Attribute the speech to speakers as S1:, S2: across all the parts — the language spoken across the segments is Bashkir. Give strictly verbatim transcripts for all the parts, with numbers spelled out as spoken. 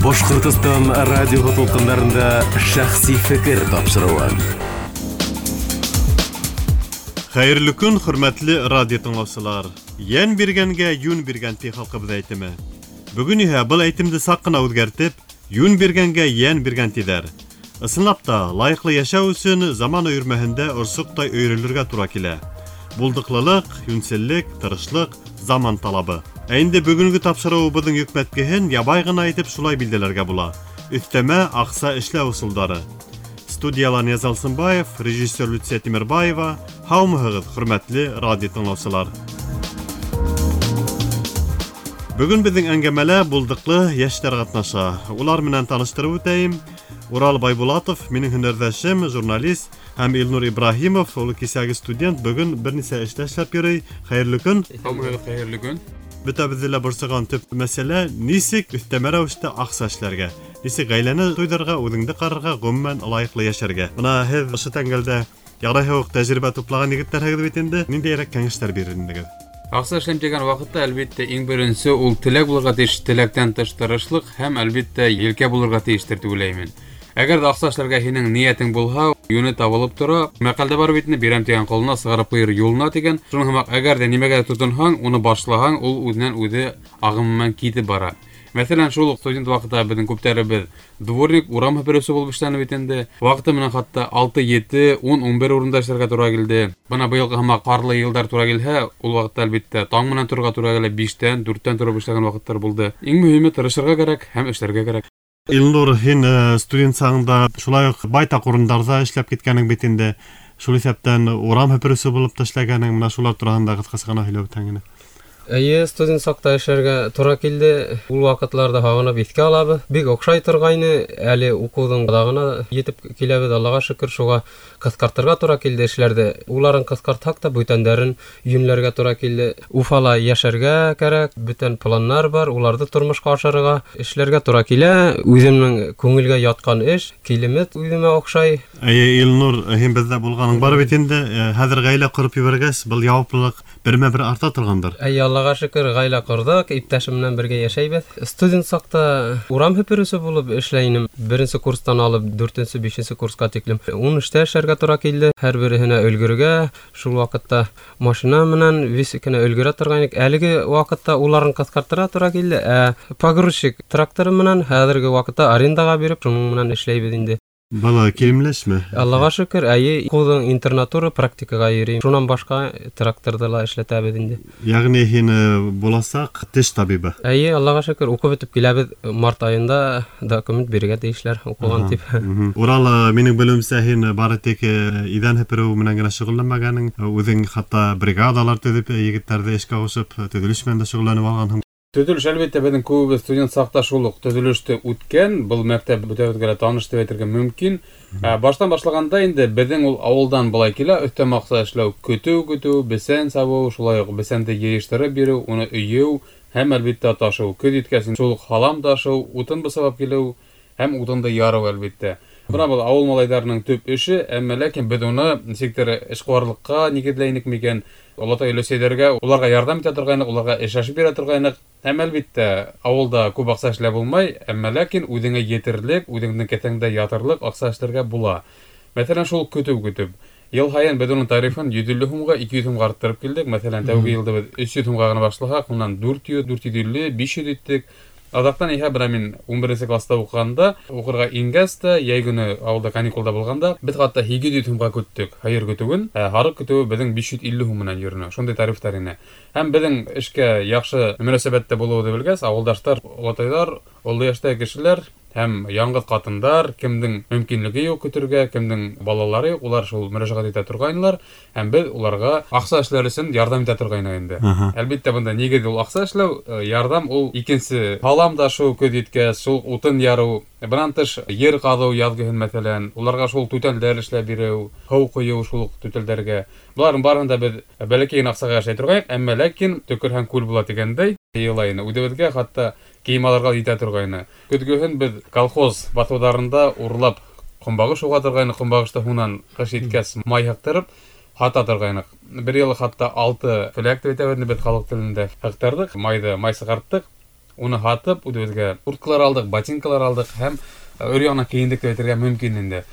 S1: Башҡортостан радиоһы тулҡындарында шәхси фекер тапшырыуы.
S2: Хәйерле көн, хөрмәтле радио тыңлаусылар. Йән биргәнгә йүн биргән ти халҡыбыҙ әйтеме. Бөгөн иһә был әйтемде саҡ ҡына үҙгәртеп, йүн биргәнгә йән биргән тиҙәр. Ысынлап та, лайыҡлы йәшәү өсөн заман өйөрмәһендә орсоҡтай өйрөлергә тура килә. Булдыҡлылыҡ, йүнселлек, тырышлыҡ заман талабы. Ә инде бөгөнгө тапшырыуыбыҙҙың йөкмәткеһен ябай ғына итеп шулай билдәләргә була. Өҫтәмә аҡса эшләү ысулдары. Студияла Нияз Алсынбаев, режиссер Люция Тимербаева. Һаумыһығыҙ, хөрмәтле радио тыңлаусылар. Бөгөн беҙҙең әңгәмәлә булдыҡлы йәштәр ҡатнаша. Улар менән таныштырып үтәйем. Урал Байбулатов, минең һөнәрҙәшем, журналист, һәм Илнур Ибраһимов, ул кисәге студент, бөгөн бер нисә эштә эшләп йөрөй. Хәйерле көн.
S3: Һаумыһығыҙ, хәйерле көн.
S2: Бөтәбеҙҙе лә борсоған төп мәсьәлә нисек өҫтәмә рәүештә аҡса эшләргә, нисек ғаиләне туйҙырырға, үҙеңде ҡарарға, ғөмүмән лайыҡлы йәшәргә. Бына һеҙ ошо тәңгәлдә ярайһы уҡ тәжрибә туплаған егеттәрһегеҙ бит инде. Ниндәйерәк кәңәштәр бирер инегеҙ?
S3: Аҡса эшләйем тигән ваҡытта, әлбиттә, иң беренсе ул теләк булырға тейеш, теләктән тыш тырышлыҡ һәм, әлбиттә, елкә булырға тейештер тип уйлайым мин. Әгәр ҙә аҡса эшләргә һинең ниәтең булһа, йүне табылып тора. Мәҡәлдә бар бит инде, бирәм тигән ҡолона, сығарып ҡуйыр юлына тигән. Шуның һымаҡ, әгәр ҙә нимәгә тотонһаң, уны башлаһаң, ул үҙенән үҙе ағым менән китеп бара. Мәҫәлән, шул уҡ студент ваҡытта беҙҙең күптәребеҙ дворник, урам һепереүсе булып эшләне бит инде. Ваҡыты менән хатта алты, ете, ун, ун бер урында эшләргә тура килде. Бына быйылғы һымаҡ ҡарлы йылдар тура килһә, ул ваҡытта әлбиттә таң менән торорға тура килә, биштән, дүрттән тороп эшләгән ваҡыттар булды. Иң мөһиме тырышырға кәрәк һәм эшләргә кәрәк.
S2: Илнур, һин студент сағында шулай уҡ байтаҡ урындарҙа эшләп киткәнең бит инде. Шул иҫәптән урам һепереүсе булып та эшләгәнең, бына шулар тураһында ҡыҫҡаса ғына һөйләп үтһәң ине.
S4: Эйе, студент саҡта эшләргә тура килде. Ул ваҡытларҙа һағынып иҫкә алабыҙ. Бик оҡшай торғайны. Әле уҡыуҙың аҙағына етеп киләбеҙ, Аллаға шөкөр, шуға ҡыҫҡартырға тура килде эшләрҙе. Уларын ҡыҫҡартһаҡ та бүтәндәрен йүнләргә тура килде. Уфала йәшәргә кәрәк, бүтән планнар бар, уларҙы тормошҡа ашырырға, эшләргә тура килә. Үҙемдең күңелгә ятҡан эш, килемет үҙемә оҡшай.
S2: Эйе, Илнур, һин беҙҙә булғаның бар бит инде. Хәҙер ғаилә ҡороп ебәргәс, был яуаплылыҡ бермә-бер арта торғандыр.
S4: Эйе, Аллаға шөкөр, ғаилә ҡорҙоҡ, иптәшем менән бергә йәшәйбеҙ. Студент саҡта урам һепереүсе булып эшләй инем. Беренсе курстан алып дүртенсе, бишенсе курсҡа тиклем ун эштә эшләргә тура килде. Һәр береһенә өлгөрөргә, шул ваҡытта машина менән вис кенә өлгөрә торғайныҡ. Әлеге ваҡытта уларын ҡыҫҡартырға тура килде. Ә погрузчик тракторы менән хәҙерге ваҡытта арендаға биреп, шуның менән эшләйбеҙ инде.
S2: Бала килемләшме?
S4: Аллаға шөкөр, әйе, уҡыуҙың интернатура практикаға йөрөйм. Шунан башҡа тракторҙы ла эшләтәбеҙ инде.
S2: Йәғни һин буласаҡ теш табибы?
S4: Әйе, Аллаға шөкөр, уҡып бөтөп киләбеҙ. Март айында документ бирергә тейешләр, уҡыған тип.
S2: Урал, минең белеүемсә, һин бары тик иҙән һепереү менән генә шөғөлләнмәгәнең, үҙең хатта бригадалар төҙөп, егеттәрҙе эшкә ҡушып, төҙөлөш менән дә шөғөлләнеп алғанһың.
S3: Төҙөлөш, әлбиттә, беҙҙең күбебеҙ студент саҡта шул уҡ төҙөлөштө үткән, был мәктәп бөтәбеҙгә лә таныш тип әйтергә мөмкин. Ә, баштан башлағанда инде беҙҙең ул ауылдан былай килә, өҫтәмә аҡса эшләү, көтөү көтөү, бесән сабыу, шулай уҡ бесәнде йыйыштырып биреү, уны өйөү һәм әлбиттә ташыу. Көҙ еткәс шул уҡ һалам ташыу, утын бысап килеү һәм утынды ярыу әлбиттә. Бына был ауыл малайҙарының төп эше, әммә ләкин беҙ уны нисектер эшҡыуарлыҡҡа нигеҙләйнек микән, олатай өләсәйҙәргә, уларға ярҙам итә торғайныҡ, уларға эш ашып бирә торғайныҡ. Һәм әлбиттә, ауылда күп аҡса эшләп булмай, әммә ләкин үҙеңә етерлек, үҙеңдең кеҫәңдә ятырлыҡ аҡса эшләргә була. Мәҫәлән, шул көтөү көтөп, йыл һайын беҙ уның тарифын йөҙ илле һумға, ике йөҙ һумға арттырып килдек. Мәҫәлән, тәүге йылда беҙ өс йөҙ һумға ғына башлаһаҡ, унан дүрт йөҙ, дүрт йөҙ илле, биш йөҙ иттек. Аҙаҡтан иһә бына мин ун беренсе класта уҡығанда, уҡырға ингәс тә, йәй көнө ауылда каникулда булғанда, беҙ хатта һигеҙ йөҙ һумға көттөк һыйыр көтөүен, ә һарыҡ көтөүе беҙҙең биш йөҙ илле һум менән йөрөнө. Шундай тарифтар ине. Һәм беҙҙең эшкә яҡшы мөнәсәбәттә булыуҙы белгәс, ауылдаштар, олатайҙар, оло йәштәге кешеләр һәм яңғыҙ ҡатындар, кемдең мөмкинлеге юҡ көтөргә, кемдең балалары юҡ, улар шул мөрәжәғәт итә торғайнылар, һәм беҙ уларға аҡса эшләр өсөн ярҙам итә торғайныҡ инде. Әлбиттә, бында нигеҙ ул аҡса эшләү, ярҙам ул икенсе һалам ташыу, көҙ еткәс, шул утын ярыу, бынан тыш ер ҡаҙыу яҙғыһын мәҫәлән, уларға шул түтәлдәр эшләп биреү, һыу ҡойоу шул уҡ түтәлдәргә. Быларҙың барыһын да беҙ бәләкәй генә аҡсаға эшләй торғайныҡ, әммә ләкин төкөрһәң күл була тигәндәй, йыйыла ине. Үҙебеҙгә хатта кейем алырға етә торғайны. Көҙгөһөн беҙ колхоз баҫыуҙарында урлап ҡомбағыш уға торғайныҡ, ҡомбағышты һунан ҡыш еткәс май һыҡтырып һата торғайныҡ. Бер йыл хатта алты фләк тип әйтәбеҙ беҙ халыҡ телендә һыҡтырҙыҡ, майҙы май сығарттыҡ. Уны һатып, үҙебеҙгә курткалар алдыҡ, ботинкалар алдыҡ һәм өр-яңынан кейендек тип әйтергә мөмкин инде.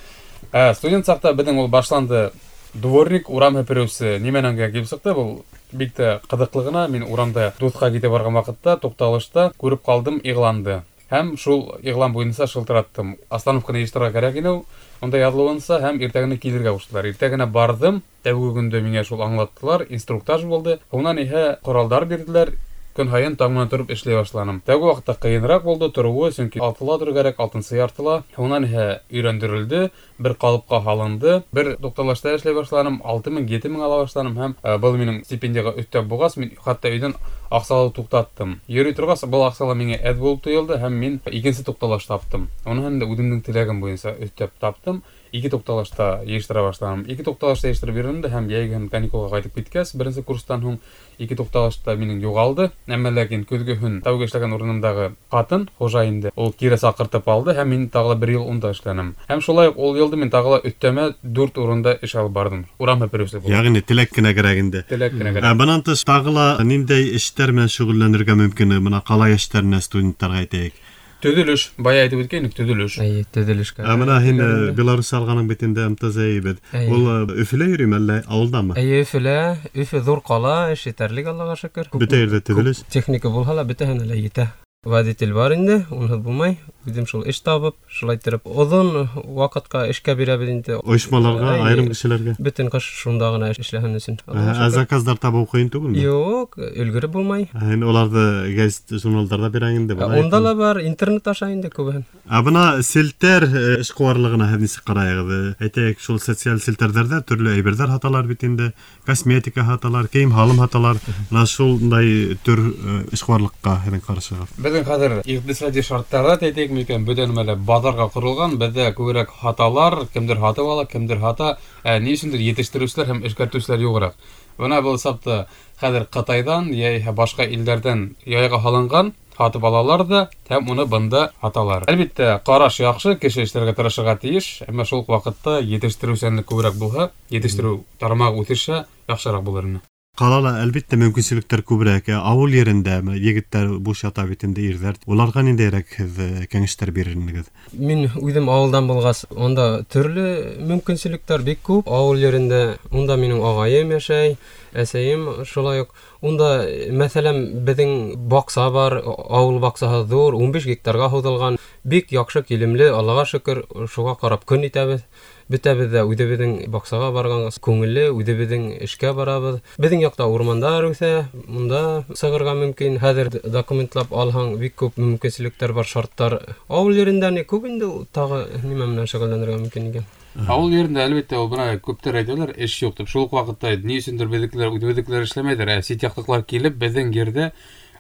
S3: Ә студент саҡта беҙҙең ул башланды дворник, урам һепереүсе нимәнән генә килеп сыҡты, был бик тә ҡыҙыҡлы ғына. Мин урамда дуҫҡа китеп барған ваҡытта туҡталышта күреп ҡалдым иғланды. Һәм шул иғлан буйынса шылтыраттым. Остановканы йыйыштырырға кәрәк ине, унда яҙылыуынса һәм иртәгенә килергә ҡуштылар. Иртәгенә барҙым, тәүге көндө миңә шул аңлаттылар, инструктаж булды. Унан иһә ҡоралдар бирҙеләр. Көн һайын таң менән тороп эшләй башланым. Тәүге ваҡытта ҡыйыныраҡ булды тороуы, сөнки алтыла торор кәрәк, алтынсы яртыла. Унан иһә өйрәндерелде, бер ҡалыпҡа һалынды. Бер туҡталышта эшләй башланым, алты мең, ете мең ала башланым һәм был минең стипендияға өҫтәп булғас, мин хатта өйҙән аҡса алыу туҡтаттым. Йөрөй торғас, был аҡса ла миңә әҙ булып тойолдо һәм мин икенсе туҡталыш таптым. Уны һәм дә үҙемдең теләгем буйынса өҫтәп таптым. Ике туҡталышта йыйыштыра башланым. Ике туҡталышта йыйыштырып йөрөнөм дә һәм йәйге каникулға ҡайтып киткәс, беренсе курстан һуң ике туҡталышта минең юғалды. Әммә ләкин көҙгөһөн тәүге эшләгән урынымдағы ҡатын, хужа инде, ул кире саҡыртып алды һәм мин тағы ла бер йыл унда эшләнем. Һәм шулай уҡ ул йылды мин тағы ла өҫтәмә дүрт урында эш алып барҙым. Урам һепереүсе булып.
S2: Йәғни теләк кенә кәрәк инде.
S3: Теләк кенә кәрәк.
S2: Ә бынан тыш тағы ла ниндәй эштәр менән шөғөлләнергә мөмкин? Бына ҡала йәштәренә, студенттарға әйтәйек.
S3: Төҙөлөш, бая әйтеп үткәйнек, төҙөлөш.
S4: Эйе, төҙөлөшкә.
S2: Ә бына һин Беларусь алғаның бит инде эм тэ зэ бит. Ул Өфөлә йөрөймө әллә ауылдамы?
S4: Эйе, Өфөлә. Өфө ҙур ҡала, эш етерлек, Аллаға шөкөр.
S2: Бөтә ерҙә төҙөлөш.
S4: Техника булһа ла бөтәһенә лә етә. Водитель бар инде, унһыҙ булмай. Үҙем шул эш табып, шулай иттереп оҙон ваҡытҡа эшкә бирәбеҙ инде.
S2: Ойошмаларға, айырым кешеләргә.
S4: Бөтөн ҡыш шунда ғына эшләһен өсөн.
S2: Ә заказдар табыу ҡыйын түгелме?
S4: Юҡ, өлгөрөп булмай.
S2: Ә һин уларҙы гәзит, журналдарҙа бирәң инде, былай.
S4: Унда ла бар, интернет аша инде күбеһен.
S2: Ә бына селтәр эшҡыуарлығына һеҙ нисек ҡарайығыҙ? Әйтәйек, шул социаль селтәрҙәрҙә төрлө әйберҙәр һаталар бит инде, косметика һаталар, кейем-һалым һаталар. Бына шундай төр эшҡыуарлыҡҡа һеҙҙең ҡарашығыҙ?
S3: Беҙҙең хәҙер иҡтисади шарттарҙа әйтәйек микән, бөтә нәмә лә баҙарға ҡоролған, беҙҙә күберәк һаталар, кемдер һатып ала, кемдер һата, ә ни өсөндөр етештереүселәр һәм эшкәртеүселәр юғыраҡ. Бына был сапта хәҙер Ҡытайҙан йә башҡа илдәрҙән яйға һалынған һатып алалар ҙа һәм уны бында һаталар. Әлбиттә, ҡараш яҡшы, кеше эшләргә тырышырға тейеш, әммә шул уҡ ваҡытта етештереүсәнлек күберәк булһа, етештереү тармағы үҫешһә, яҡшыраҡ булыр ине.
S2: Ҡалала әлбиттә мөмкинселектәр күберәк. Ауыл ерендә егеттәр буш ята бит инде, ирҙәр. Уларға ниндәйерәк һеҙ кәңәштәр бирер инегеҙ?
S4: Мин үҙем ауылдан булғас, унда төрлө мөмкинселектәр бик күп. Ауыл ерендә унда минең ағайым йәшәй, әсәйем шулай уҡ. Унда, мәҫәлән, беҙҙең баҡса бар, ауыл баҡсаһы ҙур, ун биш гектарға һуҙылған, бик яҡшы килемле, Аллаға шөкөр, шуға ҡарап көн итәбеҙ. Бөтәбеҙ ҙә үҙебеҙҙең баҡсаға барған күңелле, үҙебеҙҙең эшкә барабыҙ. Беҙҙең яҡта урмандар үҫә, унда сығырға мөмкин. Хәҙер документлап алһаң, бик күп мөмкинселектәр бар, шарттар. Ауыл ерендә ни күп инде, тағы нимә менән шөғөлләнергә мөмкин икән?
S3: Ауыл ерендә әлбиттә ул бына күптәр әйтәләр, эш юҡ тип. Шул уҡ ваҡытта ни өсөндөр беҙҙекеләр, үҙебеҙҙекеләр эшләмәйҙәр, ә сит яҡтыҡылар килеп беҙҙең ерҙә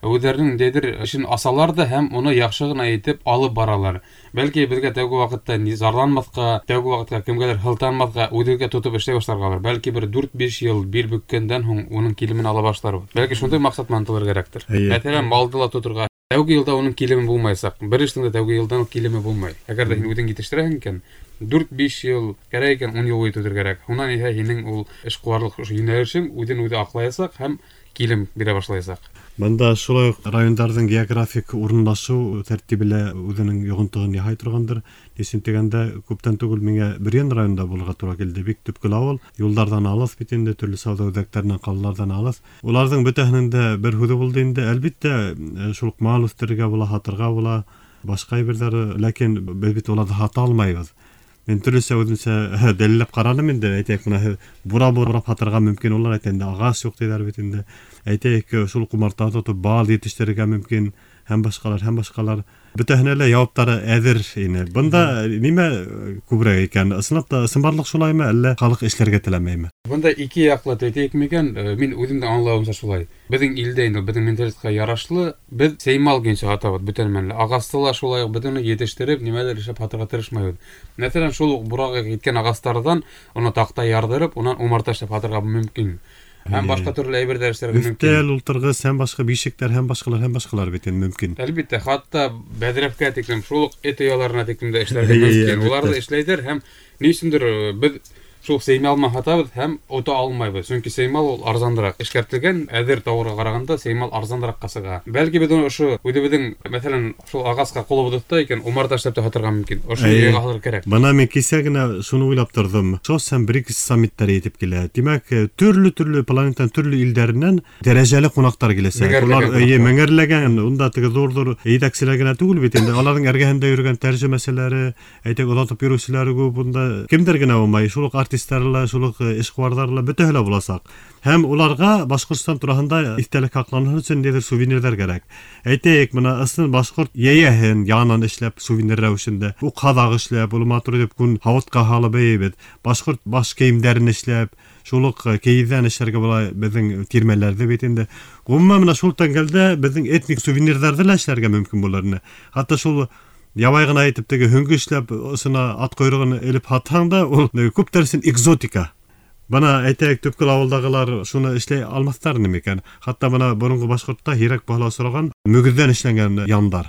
S3: үҙҙәренең ниндәйҙер эшен асалар ҙа һәм уны яҡшы ғына итеп алып баралар. Бәлки беҙгә тәүге ваҡытта зарланмаҫҡа, тәүге ваҡытта кемгәлер һылтанмаҫҡа, үҙебеҙгә тотоп эшләй башларғалыр. Бәлки бер дүрт-биш йыл бил бөккәндән һуң уның килемен ала башларбыҙ. Бәлки шундай маҡсат менән ынтылыр кәрәктер. Мәҫәлән, малды ла тоторға. Тәүге йылда уның килеме булмаясаҡ. Бер эштең дә тәүге йылдан уҡ килеме булмай. Әгәр ҙә һин үҙең етештерәһең икән, дүрт-биш йыл кәрәк икән, ун йыл буйы тотор кәрәк. Унан иһә һинең ул эшҡыуарлыҡ ошо йүнәлешең үҙен үҙе аҡлаясаҡ һәм килем бирә башлаясаҡ.
S2: Бында шулай уҡ райондарҙың географик урынлашыу тәртибе лә үҙенең йоғонтоһон яһай торғандыр. Ни өсөн тигәндә, күптән түгел миңә Бөрйән районында булырға тура килде. Бик төпкөл ауыл, юлдарҙан алыҫ бит инде, төрлө сауҙа үҙәктәренән, ҡалаларҙан алыҫ. Уларҙың бөтәһенең дә бер һүҙе булды инде. Әлбиттә, шул уҡ мал үҫтерергә була, һатырға була, башҡа әйберҙәр, ләкин беҙ бит уларҙы һата алмайбыҙ. Мин төрлөсә үҙемсә дәлилләп ҡараным инде, әйтәйек, бына һеҙ бура бурап һатырға мөмкин, улар әйтә инде, ағас юҡ тиҙәр бит инде. Әйтәйек, шул ҡумарта тотоп бал етештерергә мөмкин, һәм башҡалар, һәм башҡалар. Бөтәһенә лә яуаптары әҙер ине. Бында нимә күберәк икән? Ысынлап та ысынбарлыҡ шулаймы, әллә халыҡ эшләргә теләмәйме?
S3: Бында ике яҡлы әйтәйек микән? Мин үҙемдең аңлауымса шулай. Беҙҙең илдә инде беҙҙең менталитетҡа ярашлы, беҙ сеймал көйөнсә һатабыҙ бөтә нәмәне. Ағасты ла шулай уҡ беҙ уны етештереп, нимәлер эшләп һатырға тырышмайбыҙ. Мәҫәлән, шул уҡ бураға киткән ағастарҙан уны таҡта ярҙырып, унан умарта эшләп һатырға мөмкин. Һәм башҡа төрлө әйберҙәр эшләргә мөмкин.
S2: Өҫтәл, ултырғыс, һәм башҡа бишектәр, һәм башҡалар, һәм башҡалар бит инде мөмкин.
S3: Әлбиттә, хатта бәҙрәфкә тиклем, шул уҡ эт ояларына тиклем дә эшләргә мөмкин. Улар ҙа эшләйҙәр һәм ни өсөндөр беҙ Шул сеймал менән һатабыҙ һәм ота алмайбыҙ. Сөнки сеймал ул арзандараҡ. Эшкәртелгән әҙер тауарға ҡарағанда сеймал арзандараҡҡа сыға. Бәлки беҙ уны ошо үҙебеҙҙең, мәҫәлән, шул ағасҡа ҡулыбыҙ тота икән, умарта эшләп тә һатырға мөмкин. Ошо йыйға һалыр кәрәк.
S2: Бына мин кисә генә шуны уйлап торҙом. ШОС һәм БРИКС саммиттары етеп килә. Тимәк, төрлө-төрлө планетаның төрлө илдәренән дәрәжәле ҡунаҡтар киләсәк. Улар эйе меңәрләгән, унда теге ҙур-ҙур етәкселәр генә түгел бит инде. Аларҙың эргәһендә йөрөгән тәржемәселәре, әйтәк, оҙатып йөрөүселәре күп. Унда кемдәр генә булмай, шул уҡ артистлар ла, шул уҡ эшҡыуарҙар ла, бөтәһе лә буласаҡ. Һәм уларға Башҡортостан тураһында иҫтәлек һаҡланһын өсөн ниҙер сувенирҙар кәрәк. Әйтәйек, бына ысын башҡорт йәйәһен янан эшләп сувенир рәүешендә, уҡ һаҙаҡ эшләп, ул матур итеп күн һауытҡа һалып бейебеҙ. Башҡорт баш кейемдәрен эшләп, шул уҡ кейеҙҙән эшләргә була беҙҙең тирмәләрҙе бит инде. Ғөмүмән, бына шул тәңгәлдә беҙҙең этник сувенирҙарҙы ла эшләргә мөмкин булыр ине. Хатта шул ябай ғына итеп теге һөңгө эшләп, осона ат ҡойроғон элеп һатһаң да, ул күптәр өсөн экзотика. Бына әйтәйек, төпкөл ауылдағылар шуны эшләй алмаҫтар ине микән? Хатта бына боронғо башҡортта һирәк баһала осраған мөгөҙҙән эшләнгән яндар.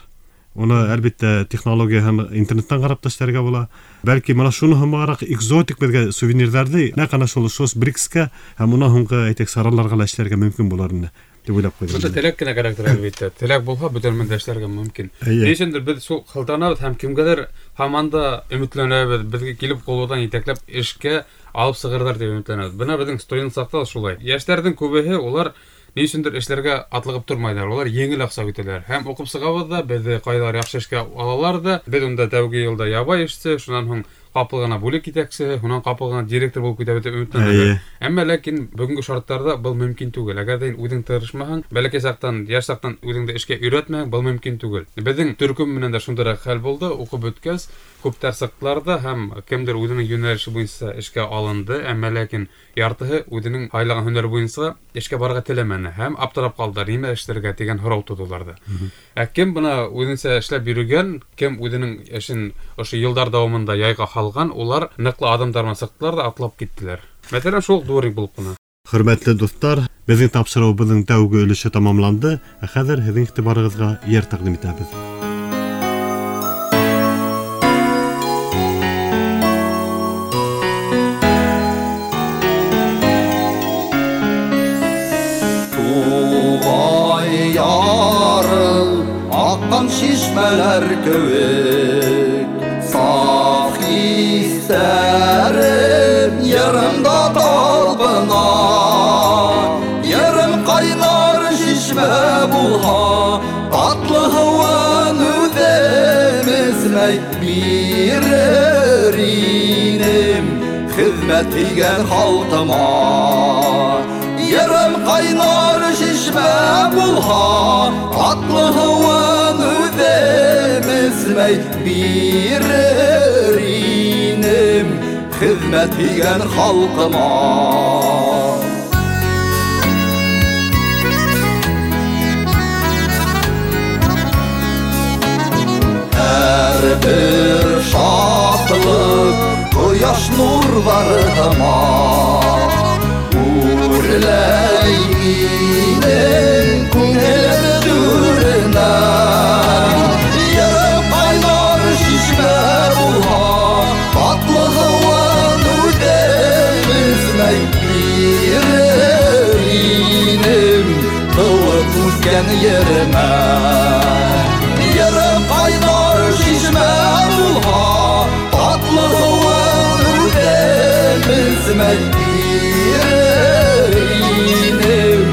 S2: Уны әлбиттә технология һәм интернеттан ҡарап та эшләргә була. Бәлки бына шуны һымағыраҡ экзотик беҙгә сувенирҙарҙы нәҡ ана шул ШОС БРИКСкә һәм унан һуңғы әйтәйек сараларға ла эшләргә мөмкин булыр ине тип уйлап ҡуйҙым.
S3: Бында теләк кенә кәрәктер әлбиттә. Теләк булһа, бөтә нәмәне дә эшләргә мөмкин. Ни өсөндөр беҙ шул һылтанабыҙ һәм кемгәлер һаман да өмөтләнәбеҙ, беҙгә килеп ҡулыбыҙҙан етәкләп эшкә алып сығырҙар тип өмөтләнәбеҙ. Бына беҙҙең студент саҡта шулай. Йәштәрҙең күбеһе улар ни өсөндөр эшләргә атлығып тормайҙар, улар еңел аҡса көтәләр. Һәм уҡып сығабыҙ ҙа, беҙҙе ҡайҙалыр яҡшы эшкә алалар ҙа, беҙ унда тәүге йылда ябай эшсе, шунан һуң ҡапыл ғына бүлек етәксеһе, һунан ҡапыл ғына директор булып китәбеҙ тип өмөтләнәбеҙ. Әммә ләкин бөгөнгө шарттарҙа был мөмкин түгел. Әгәр ҙә һин үҙең тырышмаһаң, бәләкәй саҡтан, йәш саҡтан үҙеңде эшкә өйрәтмәһәң, был мөмкин түгел. Беҙҙең төркөм менән дә шундайыраҡ хәл булды. Уҡып бөткәс, күптәр сыҡтылар ҙа һәм кемдер үҙенең йүнәлеше буйынса эшкә алынды, әммә ләкин яртыһы үҙенең һайлаған һөнәре буйынса эшкә барырға теләмәне һәм аптырап ҡалдылар, нимә эшләргә тигән һорау тыуҙы уларҙа. Ә кем бына үҙенсә эшләп йөрөгән, кем үҙенең эшен ошо йылдар дауамында яйға һалған, улар ныҡлы аҙымдар менән сыҡтылар ҙа атлап киттеләр. Мәҫәлән, шул дворник булып ҡына.
S2: Хөрмәтле дуҫтар, беҙҙең тапшырыуыбыҙҙың тәүге өлөшө тамамланды. Ә хәҙер һеҙҙең иғтибарығыҙға йыр тәҡдим итәбеҙ.
S5: Туғай ярым, аҡҡан шишмәләр кеүек, саф хистәрем йырымда талпына. Йырым ҡайнар шишмә булһа, татлы һыуын үҙем эсмәй бирер инем хеҙмәт һөйгән халҡыма. Йырым ҡайнар шишмә булһа, татлы һыуын үҙем эсмәй бирер инем хеҙмәт һөйгән халҡыма. Һәр бер шатлыҡ ҡояш нурҙары һымаҡ үрләй минең күңелем түренә. Йырым ҡайнар шишмә булһа, татлы һыуын үҙем эсмәй бирер инем тыуып үҫкән еремә. Йырым ҡайнар шишмә булһа, татлы һыуын үҙем эсмәй бирер инем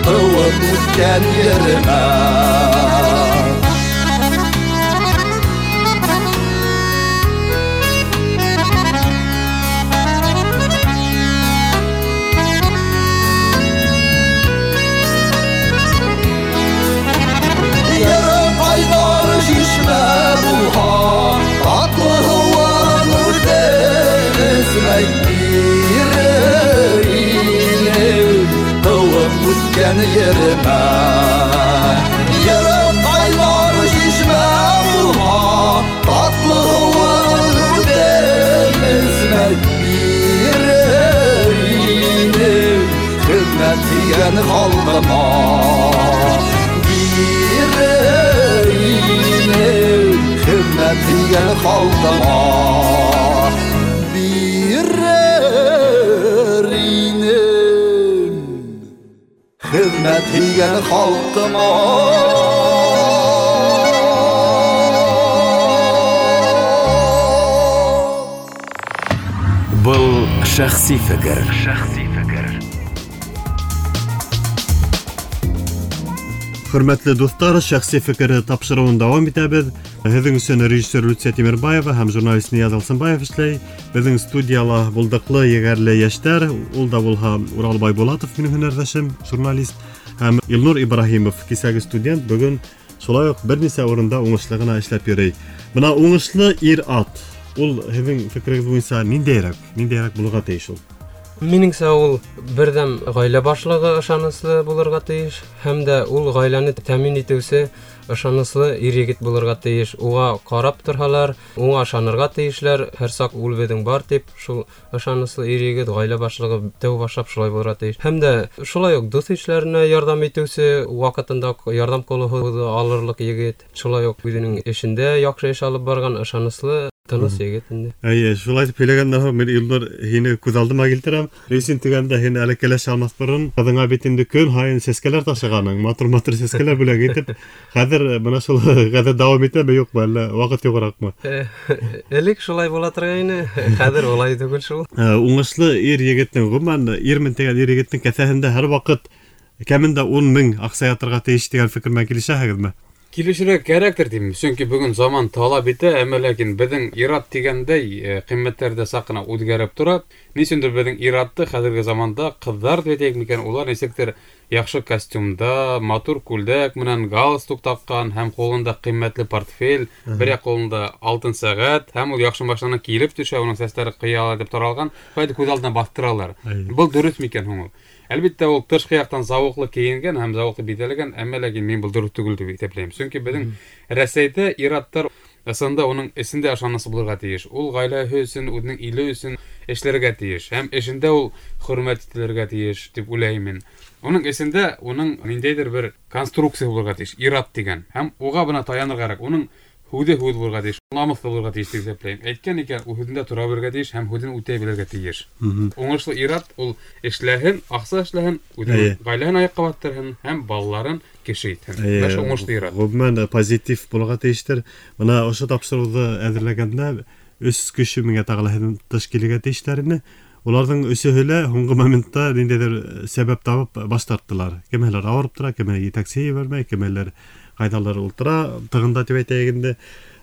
S5: тыуып үҫкән еремә. Йырым ҡайнар шишмә булһа, татлы һыуын үҙем эсмәй бирер инем тыуып үҫкән еремә. Йырым ҡайнар шишмә булһа, татлы һыуын үҙем эсмәй бирер инем хеҙмәт һөйгән халҡыма. Бирер инем хеҙмәт һөйгән халҡыма. Бирер Хеҙмәт һөйгән халҡыма.
S1: Был шәхси фекер. Шәхси фекер.
S2: Хөрмәтле дуҫтар, шәхси фекер тапшырыуын дауам итәбеҙ. Һеҙҙең өсөн режиссер Люция Тимербаева һәм журналист Нияз Алсынбаев эшләй. Беҙҙең студияла булдыҡлы, егәрле йәштәр, ул да булһа Урал Байбулатов, минең һөнәрҙәшем, журналист, һәм Илнур Ибраһимов, кисәге студент, бөгөн шулай уҡ бер нисә урында уңышлы ғына эшләп йөрөй. Бына уңышлы ир-ат, ул һеҙҙең фекерегеҙ буйынса ниндәйерәк, ниндәйерәк булырға тейеш ул?
S4: Минеңсә, ул берҙәм ғаилә башлығы ышаныслы булырға тейеш, һәм дә ул ғаиләне тәьмин итеүсе ышаныслы ир-егет булырға тейеш. Уға ҡарап торһалар, уға ышанырға тейешләр, һәр саҡ ул беҙҙең бар тип, шул ышаныслы ир-егет ғаилә башлығы тәү башлап шулай булырға тейеш. Һәм дә шулай уҡ дуҫ ишләренә ярҙам итеүсе, ваҡытында ярҙам ҡулы һуҙа алырлыҡ егет, шулай уҡ үҙенең эшендә яҡшы эш алып барған ышаныслы тыныс егет инде.
S2: Эйе, шулай итеп һөйләгәндән һуң мин Илнур һине күҙ алдыма килтерәм. Рейсин тигәндә һин әле кәләш алмаҫ борон ҡыҙыңа бит инде көн һайын сәскәләр ташығаның, матур-матур сәскәләр бүләк итеп, хәҙер бына шул ғәҙәт дауам итәме, юҡмы, әллә ваҡыт юғыраҡмы?
S4: Элек шулай була торғайны, хәҙер улай түгел шул.
S2: Уңышлы ир егеттең, ғөмүмән, ирмен тигән ир егеттең кеҫәһендә һәр ваҡыт кәмендә ун мең аҡса ятырға тейеш тигән фекер менән килешәһегеҙме?
S3: Килешергә кәрәктер тим, сөнки бөгөн заман талап итә, әммә ләкин беҙҙең ир-ат тигәндәй ҡиммәттәр ҙә саҡ ҡына үҙгәреп тора. Ни өсөндөр беҙҙең ир-атты хәҙерге заманда ҡыҙҙар тип әйтәйек микән, улар нисектер яҡшы костюмда, матур күлдәк менән галстук таҡҡан һәм ҡулында ҡиммәтле портфель, бер яҡ ҡулында алтын сәғәт, һәм ул яҡшы машинанан килеп төшә, уның сәстәре ҡыяла итеп таралған, шулай күҙ алдына баҫтыралар. Был дөрөҫ микән һуң ул? Әлбиттә, ул тышҡы яҡтан зауыҡлы кейенгән һәм зауыҡлы биҙәлгән, әммә ләкин мин был дөрөҫ түгел тип иҫәпләйем. Сөнки беҙҙең Рәсәйҙә ир-аттар ысында уның эсендә ышанысы булырға тейеш. Ул ғаиләһе өсөн, үҙенең иле өсөн эшләргә тейеш һәм эшендә ул хөрмәт ителергә тейеш тип уйлайым мин. Уның эсендә уның ниндәйҙер бер конструкция булырға тейеш, ир-ат тигән. Һәм уға бына таянырға кәрәк. Уның һүҙе һүҙ булырға тейеш, намыҫлы булырға тейеш тип иҫәпләйем. Әйткән икән, ул һүҙендә тора белергә тейеш һәм һүҙен үтәй белергә тейеш. Уңышлы ир-ат ул эшләһен, аҡса эшләһен, үҙенең ғаиләһен аяҡҡа баҫтырһын һәм балаларын кеше итһен. Менә шул уңышлы ир-ат.
S2: Ғөмүмән, позитив булырға тейештер. Бына ошо тапшырыуҙы әҙерләгәндә өс кеше миңә тағы ла һеҙҙең тыш килергә тейештәр ине. Уларҙың өсөһө лә һуңғы моментта ниндәйҙер сәбәп табып баш тарттылар. Кемәләр ауырып тора, кемәләр етәксе ебәрмәй, кемәләр ҡайҙалыр ултыра, тығында тип әйтәйек инде.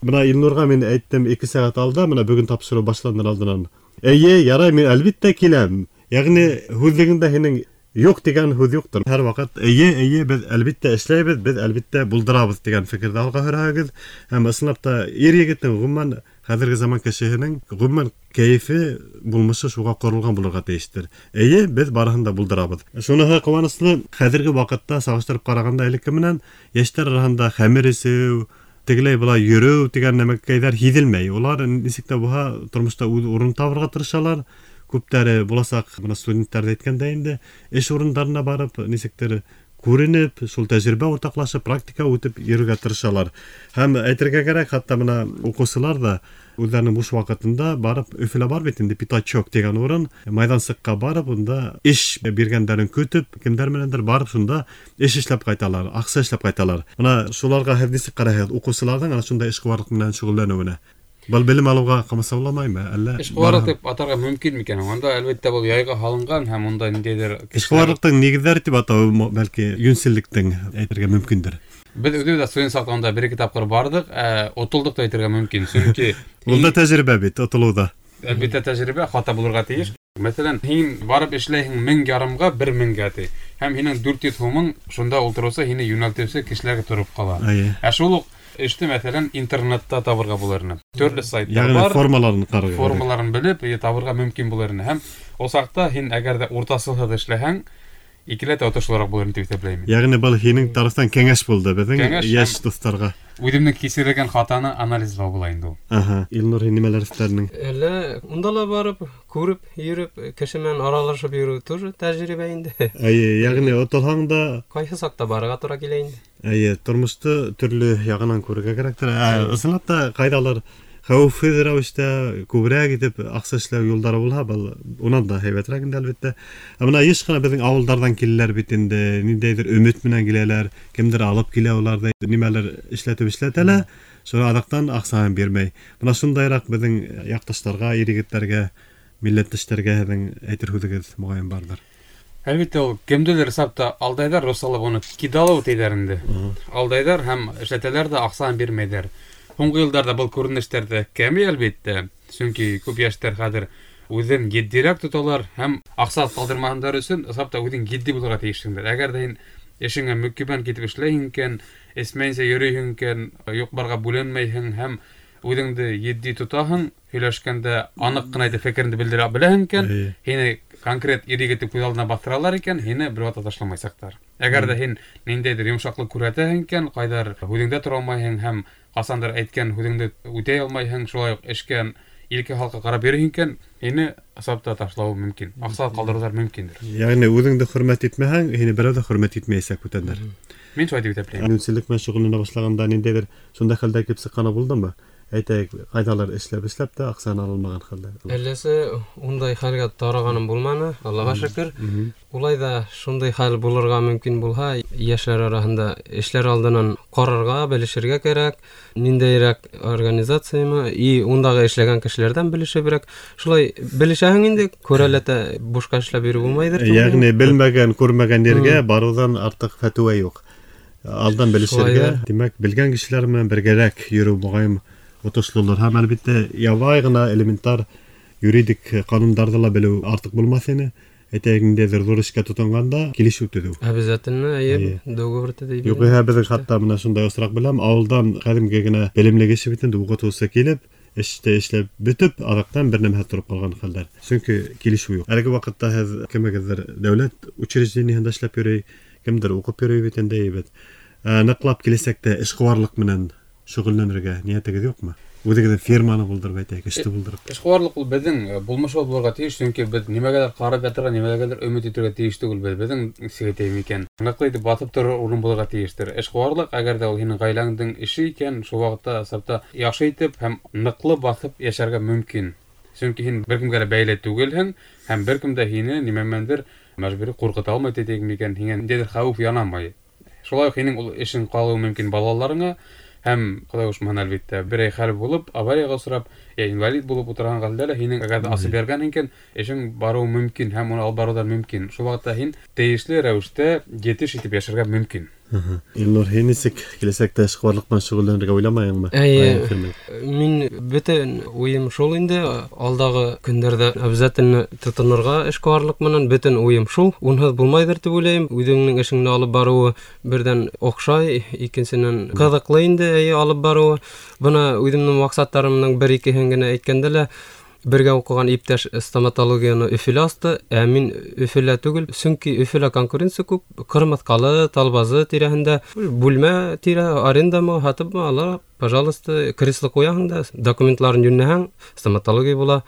S2: Бына Илнурға мин әйттем ике сәғәт алда, бына бөгөн тапшырыу башланыр алдынан. Эйе, ярай, мин әлбиттә киләм. Йәғни һүҙлегеңдә һинең юҡ тигән һүҙ юҡтыр. Һәр ваҡыт эйе, эйе, беҙ әлбиттә эшләйбеҙ, беҙ әлбиттә булдырабыҙ тигән фекерҙе алға һөрәһегеҙ. Һәм ысынлап та ир егеттең ғөмүмән хәҙерге заман кешеһенең ғөмүмән кәйефе булмышы шуға ҡоролған булырға тейештер. Эйе, беҙ барыһын да булдырабыҙ. Шуныһы ҡыуаныслы, хәҙерге ваҡытта сағыштырып ҡарағанда элекке менән йәштәр араһында хәмер эсеү, тегеләй былай йөрөү тигән нәмәкәйҙәр һиҙелмәй. Улар нисек тә булһа тормошта үҙ урын табырға тырышалар. Күптәре буласаҡ бына студенттар ҙа әйткәндә инде эш урындарына барып нисектер күренеп, шул тәжрибә уртаҡлашып, практика үтеп йөрөргә тырышалар. Һәм әйтергә кәрәк, хатта бына уҡыусылар ҙа үҙҙәренең буш ваҡытында барып Өфөлә бар бит инде Пятачок тигән урын, майҙансыҡҡа барып, унда эш биргәндәрен көтөп, кемдәр менәндер барып шунда эш эшләп ҡайталар, аҡса эшләп ҡайталар. Бына шуларға һеҙ нисек ҡарайһығыҙ уҡыусыларҙың ана шундай эшҡыуарлыҡ менән шөғөлләнеүенә? Был белем алыуға ҡамасауламаймы, әллә?
S3: Эшҡыуарлыҡ тип атарға мөмкин микән? Унда әлбиттә был яйға һалынған һәм унда ниндәйҙер
S2: эшҡыуарлыҡтың нигеҙҙәре тип атау бәлки йүнселлектең әйтергә мөмкиндер.
S3: Беҙ үҙебеҙ дә студент саҡта унда бер ике тапҡыр барҙыҡ, отолдоҡ та әйтергә мөмкин, сөнки
S2: ул да тәжрибә бит, отолоу да.
S3: Әлбиттә тәжрибә хата булырға тейеш. Мәҫәлән, һин барып эшләйһең мең ярымға, бер меңгә ти. Һәм һинең дүрт йөҙ һумың шунда ултырыусы, һине йүнәлтеүсе кешеләргә тороп ҡала. Ә шул уҡ эште мәҫәлән интернетта табырға булыр ине. Төрлө сайттар бар.
S2: Формаларын ҡарарға.
S3: Формаларын белеп, табырға мөмкин булыр ине. Һәм ул саҡта һин әгәр ҙә уртасылһыҙ эшләһәң, икеләтә отошлыраҡ булыр ине тип иҫәпләйем.
S2: Йәғни был һинең тарафтан кәңәш булды беҙҙең йәш дуҫтарға.
S3: Үҙемдең кисергән хатаны анализлау була инде ул.
S2: Аһа, Илнур, һин нимәләр эшләрнең?
S4: Әллә унда ла барып, күреп, йөрөп, кеше менән аралашып йөрөү тоже тәжрибә инде.
S2: Эйе, йәғни отолһаң да
S4: ҡайһы саҡта барырға тура килә инде.
S2: Эйе, тормошто төрлө яғынан күрергә кәрәктер. Ә, ысынлап та ҡайҙалыр Хәүефһеҙ рәүештә күберәк итеп аҡса эшләү юлдары булһа, был унан да һәйбәтерәк инде, әлбиттә. Ә бына йыш ҡына беҙҙең ауылдарҙан киләләр бит инде, ниндәйҙер өмөт менән киләләр, кемдер алып килә уларҙы, нимәлер эшләтеп эшләтә лә, шуны аҙаҡтан аҡсаһын бирмәй. Бына шундайыраҡ беҙҙең яҡташтарға, ир-егеттәргә, милләттәштәргә һеҙҙең әйтер һүҙегеҙ моғайын барҙыр.
S3: Әлбиттә, ул кемделер сапта алдайҙар, русалап уны кидалау тейҙәр инде. Алдайҙар һәм эшләтәләр ҙә аҡсаһын бирмәйҙәр. Һуңғы йылдарҙа был күренештәр ҙә кәмей, әлбиттә. Сөнки күп йәштәр хәҙер үҙен етдирәк тоталар һәм аҡса ҡалдырмаһындар өсөн ысынлап үҙең етди булырға тейешһеңдер. Әгәр ҙә һин эшеңә мөкиббән китеп эшләйһең икән, эсмәйенсә йөрөйһөң икән, юҡ-барға бүленмәйһең һәм үҙеңде етди тотаһың, һөйләшкәндә аныҡ ҡына итеп фекереңде белдерә беләһең икән, һине конкрет ир-егетте күҙ алдына баҫтыралар икән, һине бер ваҡытта ташламайсаҡтар. Әгәр ҙә һин ниндәйҙер йомшаҡлыҡ күрһәтәһең икән, ҡайҙар һүҙеңдә тора алмайһың һәм ҡасандыр әйткән һүҙеңде үтәй алмайһың, шулай уҡ эшкә илке халҡа ҡарап йөрөйһөң икән, һине асап та ташлауы мөмкин, аҡса ҡалдырыуҙар мөмкиндер.
S2: Йәғни үҙеңде хөрмәт итмәһәң, һине берәү ҙә хөрмәт итмәйәсәк бүтәндәр.
S3: Мин шулай тип иҫәпләйем.
S2: Йүнселлек менән шөғөлләнә башлағанда ниндәйҙер шундай хәлдәр килеп сыҡҡаны булдымы? Әйтәйек, ҡайҙалыр эшләп эшләп тә аҡсаны ала алмаған хәлдә.
S4: Әлләсе ундай хәлгә тарағаным булманы, Аллаға шөкөр. Улай ҙа шундай хәл булырға мөмкин булһа, йәшләр араһында эшләр алдынан ҡарарға, белешергә кәрәк, ниндәйерәк организациямы, и ундағы эшләгән кешеләрҙән белешеберәк. Шулай белешәһең инде, күрәләтә бушҡа эшләп йөрөү булмайҙыр.
S2: Йәғни белмәгән, күрмәгән ергә барыуҙан артыҡ фәтүә юҡ. Алдан белешергә, тимәк, белгән кешеләр менән бергәрәк йөрөү моғайын отошлолор. Һәм әлбиттә ябай ғына элементар юридик ҡанундарҙы ла белеү артыҡ булмаҫ ине. Әйтәйек, ниндәйҙер ҙур эшкә тотонғанда килешеү төҙөү.
S4: Обязательно, эйе, договор төҙөй.
S2: Юҡ, беҙҙең хатта бына шундай осраҡ беләм, ауылдан ҡәҙимге генә белемле кеше бит инде, уҡытыусы килеп, эште эшләп бөтөп, аҙаҡтан бер нәмә тороп ҡалған хәлдәр. Сөнки килешеү юҡ. Әлеге ваҡытта һеҙ кемегеҙҙер дәүләт учреждениеһында эшләп йөрөй, кемдер уҡып йөрөй бит инде, бит. Ныҡлап киләсәктә эшҡыуарлыҡ менән шөғөлләнергә ниәтегеҙ юҡмы? Үҙегеҙҙең фирманы булдырып әйтәйек, эште булдырып.
S3: Эшҡыуарлыҡ ул беҙҙең булмыш булырға тейеш, сөнки беҙ нимәгәлер ҡарап ятырға, нимәгәлер өмөт итергә тейеш түгелбеҙ. Беҙҙең нисек әйтәйем икән, ныҡлы итеп баҫып торор урын булырға тейештер. Эшҡыуарлыҡ, әгәр дә ул һинең ғаиләңдең эше икән, шул ваҡытта сапта яҡшы итеп һәм ныҡлы баҫып йәшәргә мөмкин. Сөнки һин бер кемгә лә бәйле түгелһең һәм бер кем дә һине нимә менәндер мәжбүри ҡурҡыта алмай тип микән, һиңә ниндәйҙер хәүеф янамай. Шулай уҡ һинең ул эшең ҡалыуы мөмкин балаларыңа. Һәм Хоҙай ҡушмаһын, әлбиттә, берәй хәл булып, аварияға осрап, йә инвалид булып ултырған хәлдә лә һинең әгәр ҙә асып биргән икән, эшең барыуы мөмкин һәм уны алып барыуҙар мөмкин. Шул ваҡытта һин тейешле рәүештә етеш итеп йәшәргә мөмкин.
S2: Илнур, һин нисек киләсәктә эшҡыуарлыҡ менән шөғөлләнергә уйламайһыңмы?
S4: Эйе, мин бөтөн уйым шул инде, алдағы көндәрҙә обязательно тотонорға эшҡыуарлыҡ менән, бөтөн уйым шул. Унһыҙ булмайҙыр тип уйлайым. Үҙеңдең эшеңде алып барыуы берҙән оҡшай, икенсенән ҡыҙыҡлы инде, эйе, алып барыуы. Бына үҙемдең маҡсаттарымдың бер икеһен генә әйткәндә лә, бергә уҡыған иптәш стоматологияны Өфөлә асты, ә мин Өфөлә түгел, сөнки Өфөлә конкуренция күп, Ҡырмыҫҡалы, Талбазы тирәһендә бүлмә тирә, арендамы, һатыпмы ала, пожалуйста, кресло ҡуяһың да, документларын йүнләһәң, стоматология була.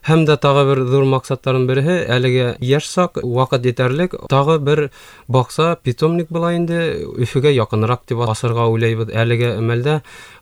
S4: Һәм дә тағы бер ҙур маҡсаттарым береһе, әлегә йәш саҡ, ваҡыт етәрлек, тағы бер баҡса, питомник була инде, Өфөгә яҡыныраҡ тип асырға уйлайбыҙ. Әлегә әмәлдә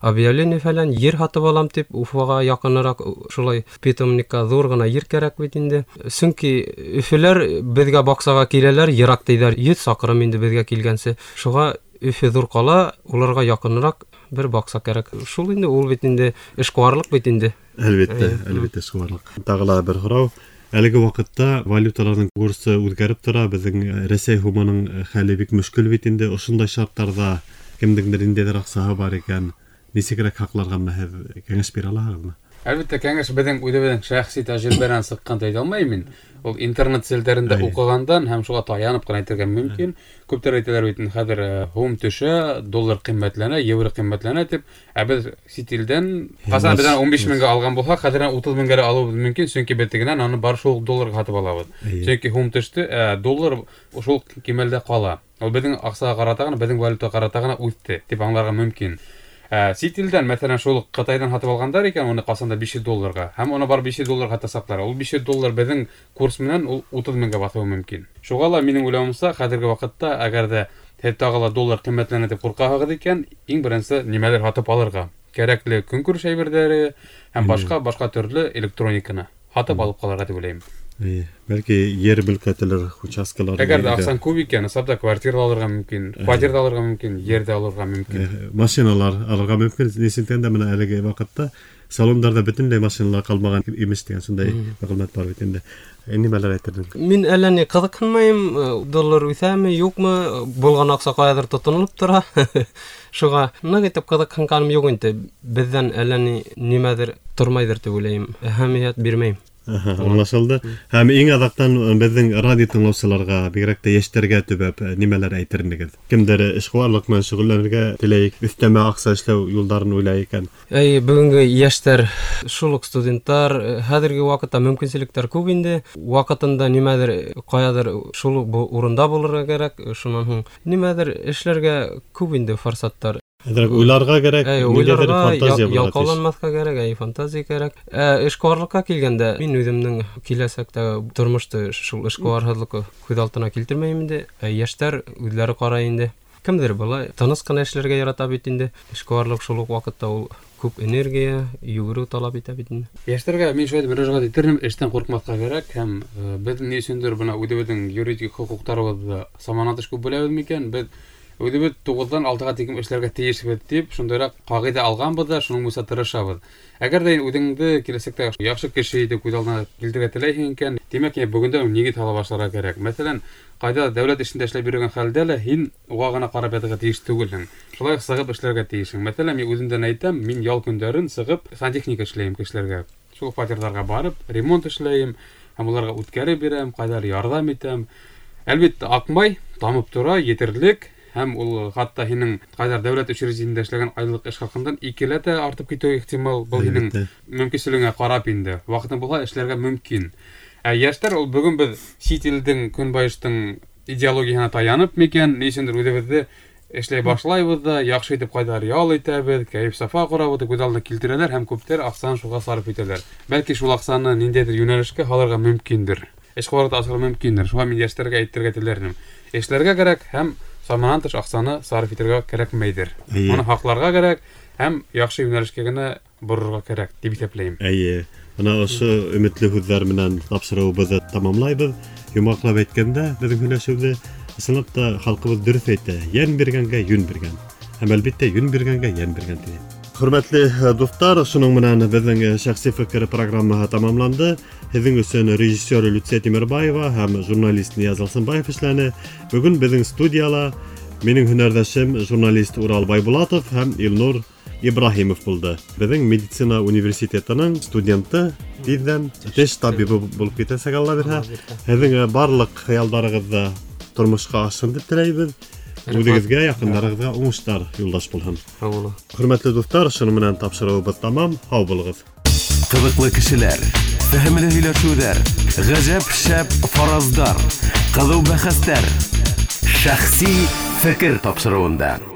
S4: объявление фәлән, ер һатып алам тип, Уфаға яҡыныраҡ шулай питомникка ҙур ғына ер кәрәк бит инде. Сөнки Өфөләр беҙгә баҡсаға киләләр, йыраҡ тиҙәр, йөҙ саҡрым инде беҙгә килгәнсе. Шуға Өфө ҙур ҡала, уларға яҡыныраҡ бер баҡса кәрәк. Шул инде, ул бит инде эшҡыуарлыҡ бит инде.
S2: Әлбиттә, әлбиттә эшҡыуарлыҡ. Тағы ла бер һорау. Әлеге ваҡытта валюталарҙың курсы үҙгәреп тора, беҙҙең Рәсәй һумының хәле бик мөшкөл бит инде. Ошондай шарттарҙа кемдеңдер ниндәйҙер аҡсаһы бар икән, нисегерәк һаҡларға менә һеҙ кәңәш бирә алаһығыҙмы?
S3: Әлбиттә, кәңәш беҙҙең үҙебеҙҙең шәхси тәжрибәнән сыҡҡан тип әйтә алмайым мин. Ул интернет селтәрендә уҡығандан һәм шуға таянып ҡына әйтергә мөмкин. Күптәр әйтәләр бит, хәҙер һум төшә, доллар ҡиммәтләнә, евро ҡиммәтләнә тип. Ә беҙ сит илдән ҡасан беҙҙән ун биш меңгә алған булһаҡ, хәҙер утыҙ меңгә лә алыуыбыҙ мөмкин, сөнки беҙ тегенән аны бар шул долларға һатып алабыҙ. Сөнки һум төштө, ә доллар шул кимәлдә ҡала. Ул беҙҙең аҡсаға ҡарата ғына, беҙҙең валютаға ҡарата ғына үҫте тип аңларға мөмкин. Сит илдән, мәҫәлән, шул Ҡытайҙан һатып алғандар икән, уны ҡасан да биш йөҙ долларға, һәм уны бар биш йөҙ долларға һатасаҡлар. Ул биш йөҙ доллар беҙҙең курс менән ул утыҙ меңгә баҫыуы мөмкин. Шуға ла минең уйлауымса, хәҙерге ваҡытта әгәр ҙә һеҙ тағы ла доллар ҡиммәтләнә тип ҡурҡаһығыҙ икән, иң беренсе нимәлер һатып алырға. Кәрәкле көнкүреш әйберҙәре һәм башҡа башҡа төрлө электрониканы һатып алып ҡалырға тип уйлайым.
S2: Эйе, бәлки ер мөлкәтеләр, участкалар.
S3: Әгәр ҙә аҡсаң күп икән, ысынлап та квартира алырға мөмкин, фатир ҙа алырға мөмкин, ер ҙә алырға мөмкин.
S2: Машиналар алырға мөмкин. Нисектән дә менә әлеге ваҡытта салондарҙа бөтөнләй машиналар ҡалмаған имеш тигән шундай мәғлүмәт бар бит инде. Нимәләр әйтерҙең?
S4: Мин әллә ни ҡыҙыҡһынмайым, доллар үҫәме, юҡмы, булған аҡса ҡайҙалыр тотонолоп тора. Шуға ныҡ итеп ҡыҙыҡһынғаным юҡ инде. Беҙҙән әллә ни нимәҙер тормайҙыр тип уйлайым. Әһәмиәт бирмәйем.
S2: Аха, аңлашылды. Һәм иң аҙаҡтан беҙҙең радио тыңлаусыларға, бигерәк тә йәштәргә төбәп нимәләр әйтер инегеҙ? Кемдер эшҡыуарлыҡ менән шөғөлләнергә теләй, өҫтәмә аҡса эшләү юлдарын уйлай икән.
S4: Әй, бөгөнгө йәштәр, шул уҡ студенттар, хәҙерге ваҡытта мөмкинселектәр күп инде. Ваҡытында нимәҙер ҡаяҙыр шул уҡ урында булырға кәрәк. Шунан һуң нимәҙер эшләргә күп инде форсаттар.
S2: Әҙерәк уйларға кәрәк, ниндәйҙер фантазия булырға тейеш.
S4: Ялҡауланмаҫҡа кәрәк, әй, фантазия кәрәк. Ә эшҡыуарлыҡҡа килгәндә, мин үҙемдең киләсәктә тормошто шул эшҡыуарһыҙлыҡ күҙ алдына килтермәйем инде. Ә йәштәр үҙҙәре ҡарай инде. Кемдер былай тыныс ҡына эшләргә ярата бит инде. Эшҡыуарлыҡ шул уҡ ваҡытта ул күп энергия, йүгереү талап итә бит инде.
S3: Йәштәргә мин шулай мөрәжәғәт итер инем, эштән ҡурҡмаҫҡа кәрәк һәм беҙ ни өсөндөр бына үҙебеҙҙең юридик хоҡуҡтарыбыҙҙы саманан тыш күп беләбеҙ микән? Беҙ үҙебеҙ туғыҙҙан алтыға тиклем эшләргә тейешбеҙ тип шундайыраҡ ҡағиҙә алғанбыҙ ҙа, шуның буйынса тырышабыҙ. Әгәр ҙә үҙеңде киләсәктә яҡшы кеше итеп күҙ алдына килтерергә теләйһең икән, тимәк, бөгөндән үк нигеҙ һала башларға кәрәк. Мәҫәлән, ҡайҙа дәүләт эшендә эшләп йөрөгән хәлдә лә һин уға ғына ҡарап ятырға тейеш түгелһең. Шулай уҡ сығып эшләргә тейешһең. Мәҫәлән, мин үҙемдән әйтәм, мин ял көндәрен сығып сантехника эшләйем кешеләргә. Шул фатирҙарға барып, ремонт эшләйем һәм уларға үткәреп бирәм, ҡайҙалыр ярҙам итәм. Әлбиттә, аҡмай, тамып тора, етерлек. Һәм ул хатта һинең ҡайҙар дәүләт учреждениендә эшләгән айлыҡ эш хаҡындан икеләтә артып китеүе ихтимал. Был һинең мөмкинселегеңә ҡарап инде. Ваҡытың булһа эшләргә мөмкин. Ә йәштәр ул бөгөн беҙ сит илдең, көнбайыштың идеологияһына таянып микән, ни өсөндөр үҙебеҙҙе эшләй башлайбыҙ ҙа, яҡшы итеп ҡайҙалыр ял итәбеҙ, кәйеф-сафа ҡорабыҙ тип күҙ алдына килтерәләр һәм күптәр аҡсаны шуға сарыф итәләр. Бәлки шул аҡсаны ниндәйҙер йүнәлешкә һалырға мөмкиндер. Эшҡыуарлыҡты асырға мөмкиндер. Шуға мин йәштәргә әйтергә теләр инем. Эшләргә кәрәк һәм саманан тыш аҡсаны сарыф итергә кәрәкмәйҙер. Уны һаҡларға кәрәк һәм яҡшы йүнәлешкә генә борорға кәрәк тип иҫәпләйем.
S2: Эйе, бына ошо өмөтлө һүҙҙәр менән тапшырыуыбыҙҙы тамамлайбыҙ. Йомғаҡлап әйткәндә, беҙҙең һөйләшеүҙе ысынлап та халҡыбыҙ дөрөҫ әйтә: йән биргәнгә йүн биргән. Һәм әлбиттә йүн биргәнгә йән биргән ти. Хөрмәтле дуҫтар, шуның менән беҙҙең шәхси фекер программаһы тамамланды. Һеҙҙең өсөн режиссер Люция Тимербаева һәм журналист Нияз Алсынбаев эшләне. Бөгөн беҙҙең студияла минең һөнәрҙәшем журналист Урал Байбулатов һәм Илнур Ибраһимов булды. Беҙҙең медицина университетының студенты, тиҙҙән теш табибы булып китәсәк, Алла бирһә. Һеҙҙең барлыҡ хыялдарығыҙҙы тормошҡа ашһын тип теләйбеҙ. Үҙегеҙгә, яҡындарығыҙға уңыштар юлдаш булһын. Хөрмәтле дуҫтар, шуның менән тапшырыуыбыҙ тамам. Һау булығыҙ.
S1: Ҡыҙыҡлы кешеләр, фәһемле һөйләшеүҙәр, ғәжәп шәп фараздар, ҡыҙыу бәхәстәр. Шәхси фекер тапшырыуында.